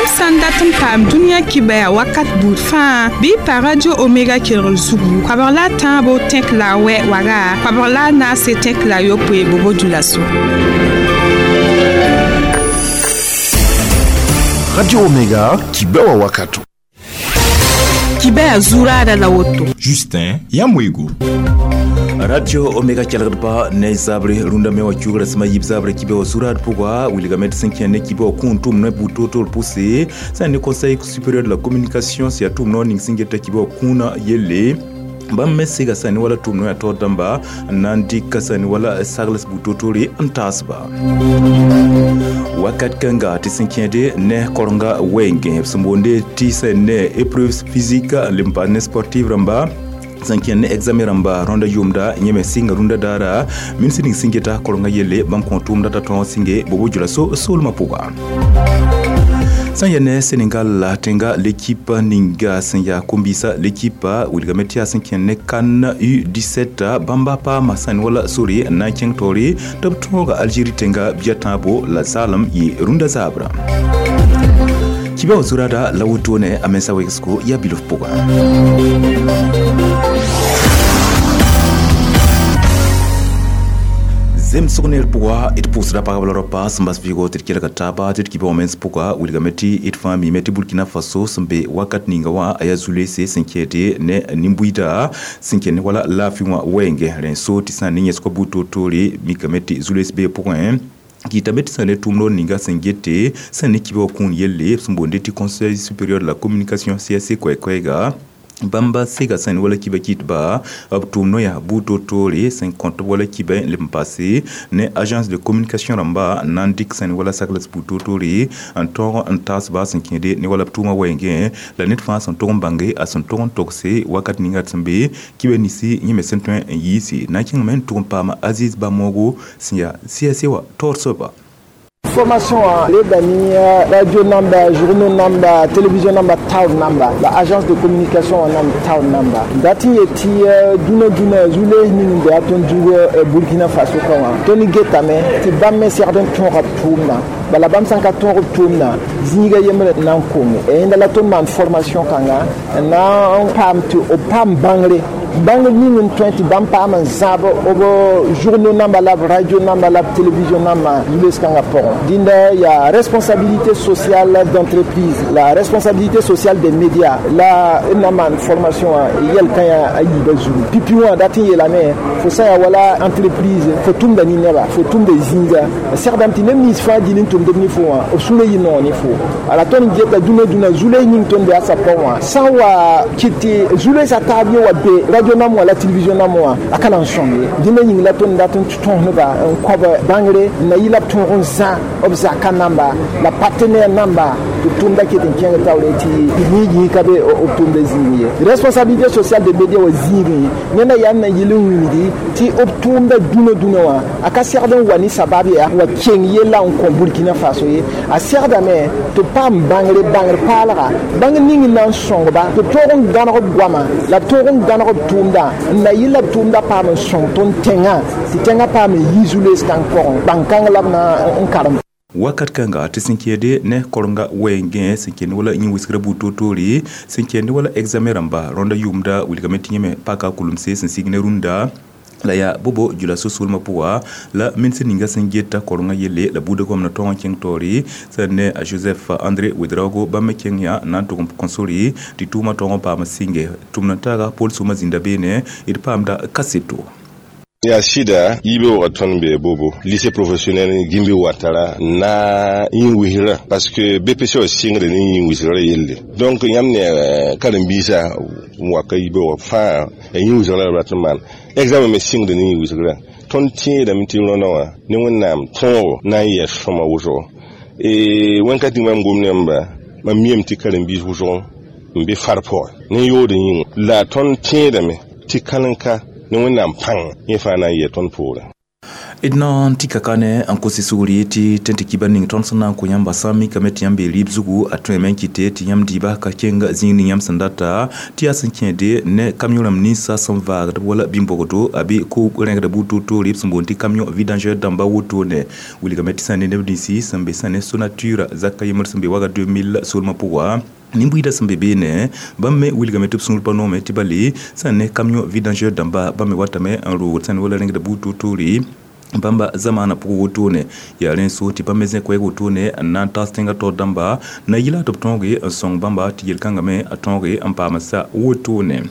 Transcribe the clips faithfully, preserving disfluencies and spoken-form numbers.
Yãmb sã n dat n paam dũniyã kibaya wakat buud fãa bɩ y pa Radio Omega kelgr zugu koabg la a tãabo tẽk la a wɛ waga koabg la a naase tẽk la a yopoe bobo dioulasso. Radio Omega kibewa wakato. Kibaya zurada la woto. Justin Yamwego. Radio Omega kelgdba ne zabre runda mewa kyugra sma yib zabre kibe surat pugwa wilga met cinquième ne kibe kuntum ne butoto poussé c'est un conseil supérieur de la communication c'est tout non ning singeta kibe kuna yelle bãmb me sega sã ne wala tʋʋm noya taoor dãmba n na n dɩka sã ne wala sagls bu-totore n taasba wakat kãnga tɩ sẽn kẽede ne korenga wɛɛngẽ b sẽn boonde tɩ sã ne épreuve physique le n paas ne sportive rãmba sẽn kẽnd ne examen rãmba rõnda yʋʋmda yẽ me sɩnga rũndã daara ministr ning sẽn geta korenga yelle bãmb kõ tʋʋmda t'a tõog sɩnge bobo dioulasso soolmã pʋga. Sã n yaa ne Sénégal tẽnga l'équipe ninga sẽn yaa kombisa l'équipe wilgame tɩ yaa sẽn kẽnd ne CAN U dix-sept bãmba paama sã n wala sore n na n kẽng taoore tɩ b tõoga Algérie tẽnga bia tãabo la zaalem yɩ rũndã zaabra. Kibã wã zurada la wotone a mensa wegsgo yaa bilf pʋgã. Zemsg ner pʋga d pʋʋsda pagb la raopa sẽn bas vɩɩgo tɩ d kelga taaba tɩ d kibã wã mens pʋga wilgame tɩ d fãa mime tɩ Burkina Faso sẽn be wakat ninga wã a yaa zulese sẽn kɛɛde ne nin-buiida sẽn kẽnd wala laafɩ wã wɛɛngẽ rẽ so tɩ sã n ne yẽsgã bu-toor-toore mikame tɩ zules bee pʋgẽ kɩtame tɩ sã ne tʋʋmd ninga sẽn gete sẽn ne kibã wã kũun yelle sẽn boonde tɩ Conseil supérieur de la communication C S C koɛɛ-koɛɛga bãmba sega sẽn wala kiba kɩtba b tʋʋm noya bu-toor-toore sẽn kõt wala kiba n leb n paase ne agence de communication rãmba n na n dɩk sẽn wala sagls bu-toor-toore n tõog n taasba sẽn kẽede ne wala b tʋʋmã wɛɛngẽ la ned fãa sẽn tog n bãnge a sẽn tog n togse wakat ninga d sẽn be kiba ninsi yẽ me sẽn tõe n yiise na n kẽngame n tʋg n paam Aziz Bamogo sẽn yaa C S C wã taoor soaba. Formation les bani radio namba, journaux namba, télévision namba, town namba, la agence de communication namba, town namba. Dati yeti duna duna zule ning de aton dugo Burkina Faso kawa. Toni getame ti bamme serden ton rap tumna. Bala bam sanka ton rap tumna. Zinga yemre nan kongo. E inda la ton man formation kanga na on pam tu o pam bangre. Bang ning n tõe tɩ bãmb paam n zãab b journaux namba la b radio namba la b télévision namba zules kãngã pʋgẽ dĩnda yaa responsabilité sociale d'entreprise la responsabilité sociale des médias la n na maan formation wã yɛl kã yaa a yiibã zugu pipi wã dat n yeelame fo sã yaa wala entreprise fo tʋmda ne neba fo tʋmda zĩiga segdame tɩ neb nins fãa dĩn n tʋmdb ne fo wã b sũurã yɩ noog ne fo ala tõnd geta dũnã dũnã zules ning tõnd be a sa pʋgẽ wã sã n wa kɩt tɩ zulesã taab yẽ wa be radio nam wã la télévision nam wã a ka na n sõng ye dĩnã yĩng la tõnd dat n tõsdba n koab bãngre n na yɩ la b tõog n zã b zaka namba la partenaire namba tɩ tʋmda ket n kẽng taoore tɩ yĩig ka be b tʋmda zĩig ye responsabilité sociale de média wã zĩigẽ neda yaa n na yɩl n wilgi tɩ b tʋʋmda dũnã dũnã wã a ka segd n wa ne sabab yaa wa keng yella n kõ Burkina Faso ye a segdame tɩ b paam bãngre bãngr paalga bãng ning n na n sõngba tɩ b tõog n gãneg b goama la b tõog n gãneg b tʋʋmda n na yɩl la b tʋʋmda paam n sõng tõnd tẽngã tɩ tẽngã paam n yi zules kãng pʋgẽ bãn-kãng la b na n karem. Wakat kãnga tɩ sẽn kẽede ne korenga wɛɛngẽ sẽn kẽnd wala yẽ wisgrã bu-toor-toore sẽn kẽnd wala examen rãmba rõnda yʋʋmda wilgame tɩ yẽ me paka kulemse sẽn sig ne rũndã la yaa bobo dioulasso soolmã pʋga la ministr ninga sẽn geta korenga yelle la buudã goamna tõog n kẽng taoore sẽn ne a Joseph André Ouedraogo bãmb me kẽng yaa n na n tʋg n kõ sore tɩ tʋʋmã tõog n paam sɩnge tʋmd n taaga Paul Sũmã zĩnda beene d paamda kaseto. Ya sida yibe wa tõnd be bobo lycée professionnel Gimbi Ouattara na yĩn wisgrã parce que B P C wã sɩngre ne yĩn wisgrã yelle donc yãmb ne karen-biisã n wa ka yibe wã fãa ya yĩn wisgrã la b rat n maan examen me sɩngde ne yĩn wisgrã tõnd tẽedame tɩ rõndã wã ne Wẽnnaam tõogo na n yɛs sõma wʋsgo wẽn-ka tɩ mam gom nembã mam miame tɩ karen-biis wʋsg n be far pʋgẽ ne yood yĩnga la tõnd tẽedame tɩ kalen-ka ne Wẽnnaam pãng yẽ fãa na n yɛ tõnd poorẽ. D na n tɩ ka ne n kos sugri tɩ tẽn tɩ kiba ning tõnd sẽn na n kõ yãmba sã n mikame tɩ yãmb bee rɩɩb zugu a tõeme n kɩte tɩ yãmb dɩɩba ka kẽng zĩig ning yãmb sẽn data tɩ yaa sẽn kẽede ne camion rãmb ninsã sẽn vaagd wala bĩm-bogdo a bɩ ko rẽgda buud toor-toore b sẽn boond tɩ camion vidangeur dãmba wotone wilgame tɩ sã ne neb ninsi sẽn be sã ne Sonatur zaka yembr sẽn be waga deux mille soolmã pʋga nin-buiidã sẽn be beene bãmb me wilgame tɩ b sũur pa noome tɩ bale sã n ne camion vidangeur dãmba bãmb me watame n roogd sã ne wala rẽgda buud toor-toore bãmba zamaanã pʋgẽ wotone yaa rẽ so tɩ bãmb me zẽ koɛɛg wotone n na n taas tẽngã taoor dãmba na yɩla tɩ b tõoge n sõng bãmba tɩ yel-kãngã me a tõoge n paam sa wotone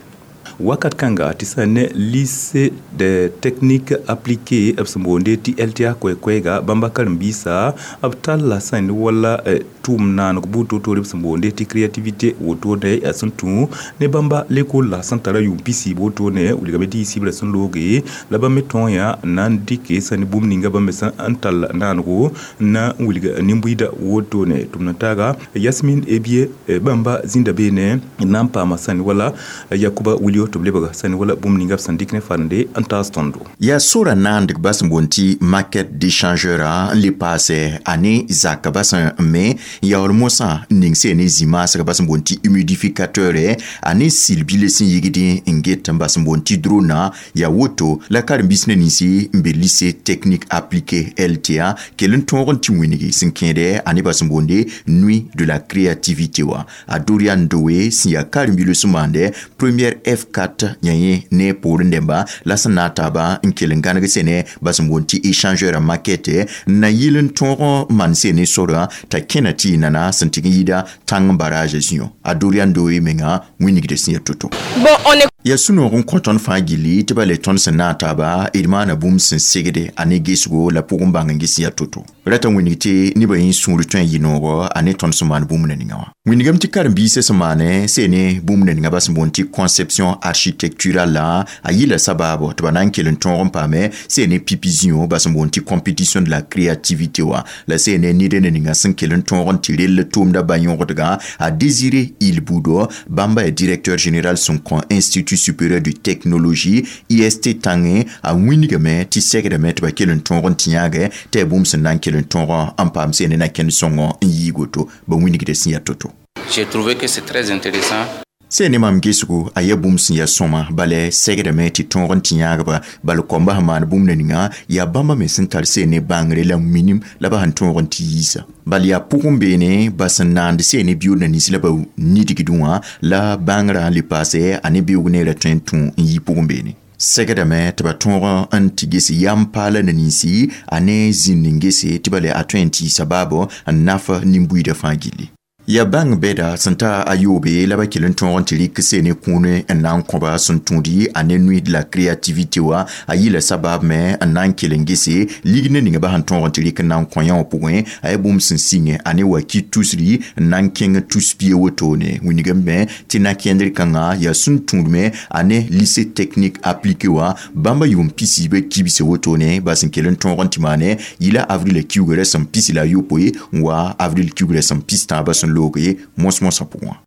wakat kãnga tɩ sã ne lycée de technique appliquée b sẽn boonde tɩ L T A koɛ-koɛɛga bãmba karen-biisã b talla sã ne wala tʋʋm naaneg buud toor-toore b sẽn boonde tɩ créativité wotone yaa sẽn tũ ne bãmba lekol la sẽn tara yʋʋm pisi wotone wilgame tɩ yɩ sɩbrã sẽn looge la bãmb me tõog yã n na n dɩke sã ne bũmb ninga bãmb me sẽn n tall naanego n na n wilg nin-buiidã wotone tʋm na taaga Yasmine Ebie bãmba zĩnda beene n na n paama sã ne wala Yakuba Wilio tɩ b lebga sã ne wala bũmb ninga b sẽn dɩk ne farende n taas tõndo. Yaa sora naandg bas n boond tɩ maquette d'échangeur n le paase a ne zaka bas n me n yaool mosã n ning sẽn ne zĩ-maasg bas n boond tɩ humidificateur a ne sil bile sẽn yigd n get n bas n boond tɩ drone yaa woto la karen-biis ne ninsi n be lycée technique appliqué L T A kell n tõog n tɩ wĩngi sẽn kẽede a ne bas n boonde Nuit de la créativité wa a Dorian Doe sẽn yaa karen-bilo sẽn maande première F quatre yã yẽ ne poorẽ dẽmba la sẽn na n taaba n kell n gãneg sẽne bas n boond tɩ échangeur maquette n na yɩl n tõog n maan sene sorã t'a kẽna tɩ y nana sẽn tɩg n yɩɩda tãng barrage zĩo a Dorian Doe menga wĩnigd sẽn ya to-to. Bon, on est Ya sũ-noog n kõ tõnd fãa gilli tɩ ba le tõnd sẽn na n taaba d maana bũmb sẽn segde a ne gesgo la pʋgẽ bãng n ges ya to-to rata wĩnig tɩ nebã yẽ sũur tõe n yɩ noogɔ a ne tõnd sẽn maan bũmb na ninga wã wĩnigame tɩ karen-biisã sẽn maane see ne bũmb na ninga ba sẽn boond tɩ conception architecturale la a yɩla sabaabo tɩ ba na n kell n tõog n paame see ne pipi zĩo ba sẽn boond tɩ compétition de la créativité wa la see ne ned ne ninga sẽn kell n tõog n tɩ rell tʋʋmda ba-yõgdgã a Désiré Ilbudo bãmba ya directeur général sẽn kõ Institut supérieur de technologie I S T tãngẽ a wĩnigame tɩ segdame tɩ ba kell n tõog n tɩ yãagɛ tɩ yaa bũmb sẽn na n kell n tõog n paam sẽn ne na-kẽnd sõngɔ n yiig woto ba wĩnigda sẽn yaa to-to. J'ai trouvé que c'est très intéressant. Sẽn ne mam gesgo a yaa bũmb sẽn yaa sõma bala segdame tɩ tõog n tɩ yãagba bal kõmba sẽn maan bũmb na ninga yaa bãmba me sẽn tar sẽn ne bãngre la minim la ba sẽn tõog n tɩ yiisa bal yaa pʋgẽ beene ba sẽn naand sẽn ne biʋʋd na nins la ba nidgdẽ wã la bãngrã n le paase a ne beoog neerã tõe n tũ n yi pʋgẽ beene segdame tɩ ba tõog n tɩ ges yam paala na ninsi a ne zĩnd n gese tɩ bala a tõe n tɩ sabaabo n naf nin-buiidã fãa gilli ya bãng bɛda sẽn ta a yoobe la ba kell n tõog n tɩ rɩk seen ne kũune n na n kõba sẽn tũudi a ne Nuit de la créativité wa a yɩla sabab me n na n kell n gese lig ne ninga ba sẽn tõog n tɩ rɩk n na n kõ yã wã pʋgẽ a yaa bũmb sẽn sɩngẽ a ne wa ki tusri n na n kẽng tus pie wotone wĩnigame me tɩ na-kẽndr kãngã yaa sẽn tũud me a ne lycée technique appliqué wa bãmba yʋʋm pisiibã kibse wotone ba sẽn kell n tõog n tɩ maane yɩla avril kiugrã sẽn pis la a yopoe n wa avril kiugrã sẽn pis tãabã sẽn looge mos-mosã pʋgẽ.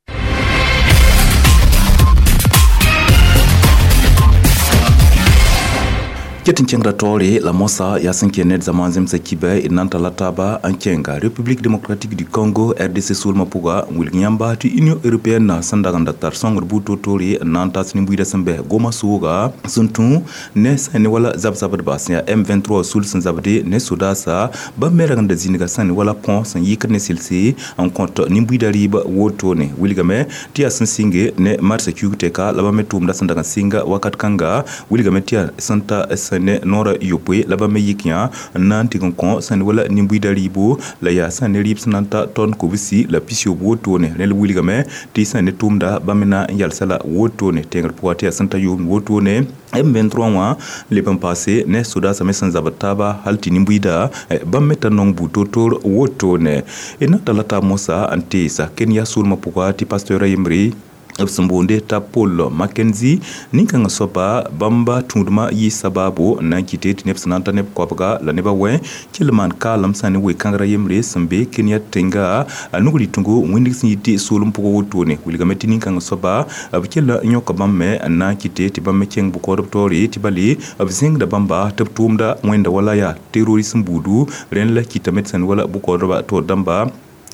Ket n kẽngda taoore la moasã yaa sẽn kẽ ned zamaan zemsã kiba d na n talla taaba n kẽnga République démocratique du Congo R D C soolmã pʋga n wilg yãmba tɩ Union européenne sẽn dag n da tar sõngr buud toor-toore n na n tas nin-buiidã sẽn bɛ goma sooga sẽn tũ ne sã ne wala zab-zabdba sẽn yaa M vingt-trois sul sẽn zabde ne sodaasa bãmb me rag n da zĩniga sã ne wala põ sẽn yɩkd ne selse n kõt nin-buiidã rɩɩb wotone wilgame tɩ yaa sẽn sɩnge ne marsã kiuug tɛka la bãmb me tʋʋmda sẽn dag n sɩnga wakat kãnga wilgame tɩ yaa sẽn ta sẽn ne noorã yopoe la bãmb me yik yã n na n tɩg n kõ sẽn wala nin-buiidã rɩɩbo la yaa sã ne rɩɩb sẽn na n ta tɔn kobsi la pis-yooob wotone rẽ la wilgame tɩ sã ne tʋʋmda bãmb me na n yalsa la wotone tẽngr pʋga tɩ yaa sẽn ta yʋʋmd wotone M vingt-trois wã leb n paase ne sodaasã me sẽn zabd taaba hal tɩ nin-buiida bãmb me tar nong buud toor-toor wotone d na talla taab mosã n teesa Kenya soolmã pʋga tɩ pasteur a yembre B sẽn boonde t'a Paul Mackenzie nin-kãngã soaba bãmba tũudmã yɩ sabaabo n na n kɩte tɩ neb sẽn na n ta neb koabga la nebã wɛ kell maan kaalem sã ne we-kãngrã yembre sẽn be Kenya tẽnga a nug rɩtẽngo wĩndg sẽn yɩ tɩ soolem pʋgã wotone wilgame tɩ nin-kãngã soaba b kell n yõka bãmb me n na n kɩte tɩ bãmb me kẽng bʋ-kaoodb taoore tɩ bale b zẽngda bãmba tɩ b tʋʋmda wẽnda wala yaa terrorisme buudu rẽnd la kɩtame tɩ sẽn wala bʋ-kaoodbã taoor dãmba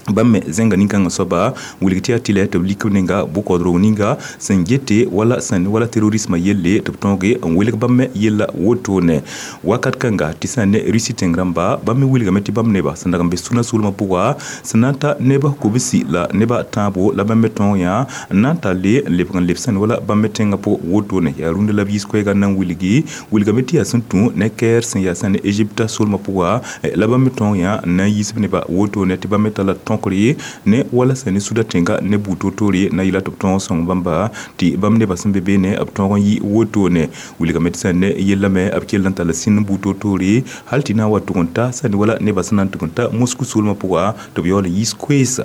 bãmb me zẽnga nin-kãngã soaba wilg tɩ yaa tɩlɛ tɩ b lik b nenga bʋ-kaood ninga sẽn gete wala sẽn wala terrorismã yelle tɩ b tõoge n welg bãmb me yella wotone wakat kãnga tɩ sã ne Russie tẽng rãmba bãmb me wilgame tɩ bãmb neba sẽn dag n be sũnã soolmã pʋga sẽn na n ta neb kobsi la neba tãabo la bãmb me tõog yã n na n talle n lebg n leb sẽn wala bãmb me tẽngã pʋg wotone yaa rũndã la b yiis koɛɛgã n na n wilgi wilgame tɩ yaa sẽn tũ ne kɛɛr sẽn yaa sẽn ne Egypte soolmã pʋga la bãmb me tõog yã n na n yiis b neba wotone tɩ bãmb me tala tõkre ne wala sẽn ne suda tẽnga ne buud toor-toore na yɩla tɩ b tõog sõng bãmba tɩ bãmb nebã sẽn be beene b tõog n yɩ wotone wilgame tɩ sẽn ne yellame b kell n talla sĩnd buud toor-toore hal tɩ na n wa tʋg n ta sẽn wala nebã sẽn na n tʋg n ta Moscou soolmã pʋga tɩ b yaool n yiis koeesa.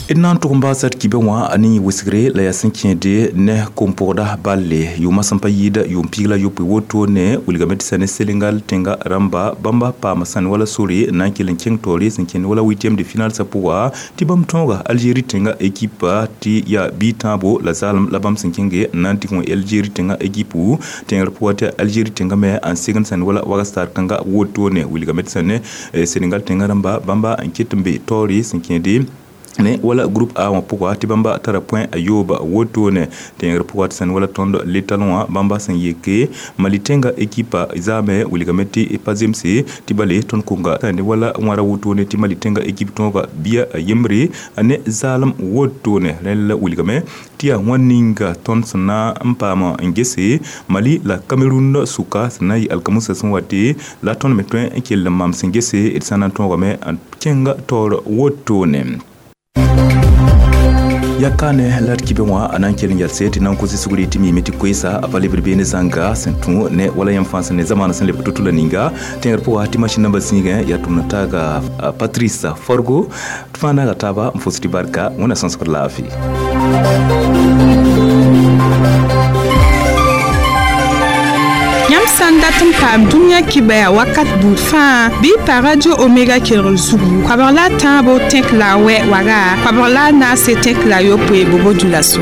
D na n tʋg n baasa d kibẽ wã a ne yẽ wesgre la yaa sẽn kẽede ne kom-pʋgda balle yʋʋmã sẽn pa yɩɩda yʋʋm piig la yopoe wotone wilgame tɩ sã ne Senegal tẽnga rãmba bãmba paama sãn wala sore n na n kell n kẽng taoore sẽn kẽnd wala huitième de finale sã pʋga tɩ bãmb tõoga Algérie tẽnga équipe tɩ yaa bi-tãabo la zaalem la bãmb sẽn kẽnge n na n tɩ wẽ Algérie tẽnga équipe tẽngr pʋga tɩ Algérie tẽnga me n segend sãn wala waga star kãnga wotone wilgame tɩ sã ne Senegal tẽnga rãmba bãmba n ket n be taoore sẽn kẽede ne wala groupe A wã pʋga tɩ bãmba tara point a yooba wotone tẽngr pʋga tɩ sẽn wala tõnd letalẽ wã bãmba sẽn yeke Mali tẽnga ekipa zaame wilgame tɩ pa zemse tɩ bale tõnd konga ne wala wãra wotone tɩ Mali tẽnga ekip tõoga bia a yembre a ne zaalem wotone rẽnd la wilgame tɩ yaa wãn ninga tõnd sẽn na n paam n gese Mali la Cameroun sʋka sẽn na n yɩ alkamusa sẽn wate la tõnd me tõe n kell n maam sẽn gese d sã na n tõogame n kẽnga taoor wotone. Yakane la d kibẽ wã a na n kell n yalse tɩ na n kos sugri tɩ miime tɩ koeesa a pa lebd beene zãnga sẽn tũ ne wala yãmb fãa sẽn ne zamaana sẽn lebg to-to la ninga tẽngr pʋga tɩ masĩn nambã zĩigẽ yaa tʋmd taaga Patrice Forgo tɩ fãa naaga taaba n fos tɩ barka wẽnna sõsgd laafɩ. Yãmb sã n dat n paam dũniyã kibɛa wakat buud fãa bɩ pa Radio Omega kelgr zugu koabg la a tãabo tẽk la a wɛ waga koabg la a naase tẽk la a yopoe bobo dulaso.